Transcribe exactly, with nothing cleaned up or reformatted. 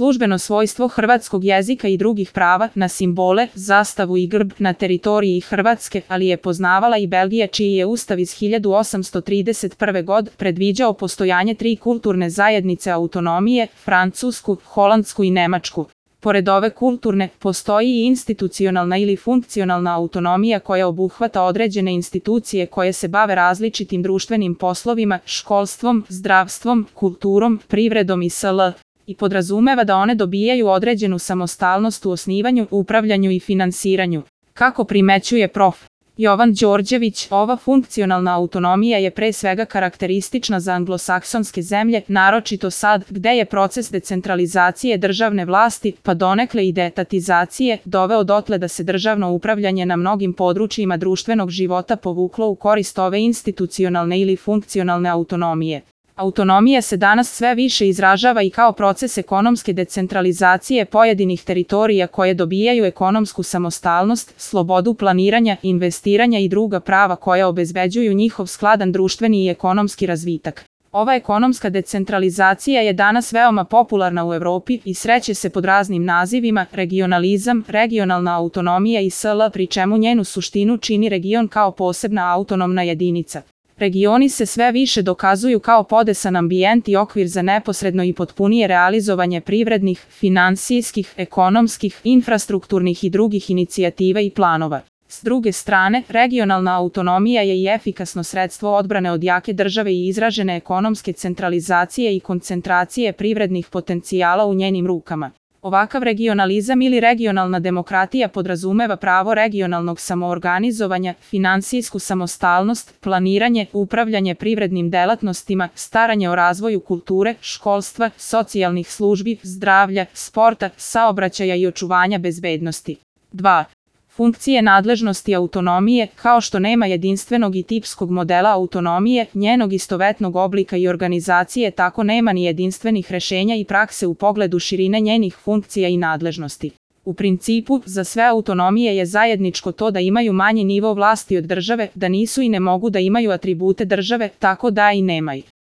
službeno svojstvo hrvatskog jezika i drugih prava na simbole, zastavu i grb na teritoriji Hrvatske, ali je poznavala i Belgija čiji je ustav iz hiljadu osamsto trideset prve. godine predviđao postojanje tri kulturne zajednice autonomije, Francusku, Holandsku i Nemačku. Pored ove kulturne, postoji i institucionalna ili funkcionalna autonomija koja obuhvata određene institucije koje se bave različitim društvenim poslovima, školstvom, zdravstvom, kulturom, privredom i sl. i podrazumeva da one dobijaju određenu samostalnost u osnivanju, upravljanju i finansiranju. Kako primećuje prof. Jovan Đorđević, ova funkcionalna autonomija je pre svega karakteristična za anglosaksonske zemlje, naročito sad, gde je proces decentralizacije državne vlasti, pa donekle i deetatizacije, doveo dotle da se državno upravljanje na mnogim područjima društvenog života povuklo u korist ove institucionalne ili funkcionalne autonomije. Autonomija se danas sve više izražava i kao proces ekonomske decentralizacije pojedinih teritorija koje dobijaju ekonomsku samostalnost, slobodu planiranja, investiranja i druga prava koja obezbeđuju njihov skladan društveni i ekonomski razvitak. Ova ekonomska decentralizacija je danas veoma popularna u Evropi i sreće se pod raznim nazivima: regionalizam, regionalna autonomija i sl., pri čemu njenu suštinu čini region kao posebna autonomna jedinica. Regioni se sve više dokazuju kao podesan ambijent i okvir za neposredno i potpunije realizovanje privrednih, finansijskih, ekonomskih, infrastrukturnih i drugih inicijativa i planova. S druge strane, regionalna autonomija je i efikasno sredstvo odbrane od jake države i izražene ekonomske centralizacije i koncentracije privrednih potencijala u njenim rukama. Ovakav regionalizam ili regionalna demokratija podrazumeva pravo regionalnog samoorganizovanja, finansijsku samostalnost, planiranje, upravljanje privrednim delatnostima, staranje o razvoju kulture, školstva, socijalnih službi, zdravlja, sporta, saobraćaja i očuvanja bezbednosti. dva. Funkcije nadležnosti autonomije, kao što nema jedinstvenog i tipskog modela autonomije, njenog istovetnog oblika i organizacije, tako nema ni jedinstvenih rešenja i prakse u pogledu širine njenih funkcija i nadležnosti. U principu, za sve autonomije je zajedničko to da imaju manji nivo vlasti od države, da nisu i ne mogu da imaju atribute države, tako da i nemaju.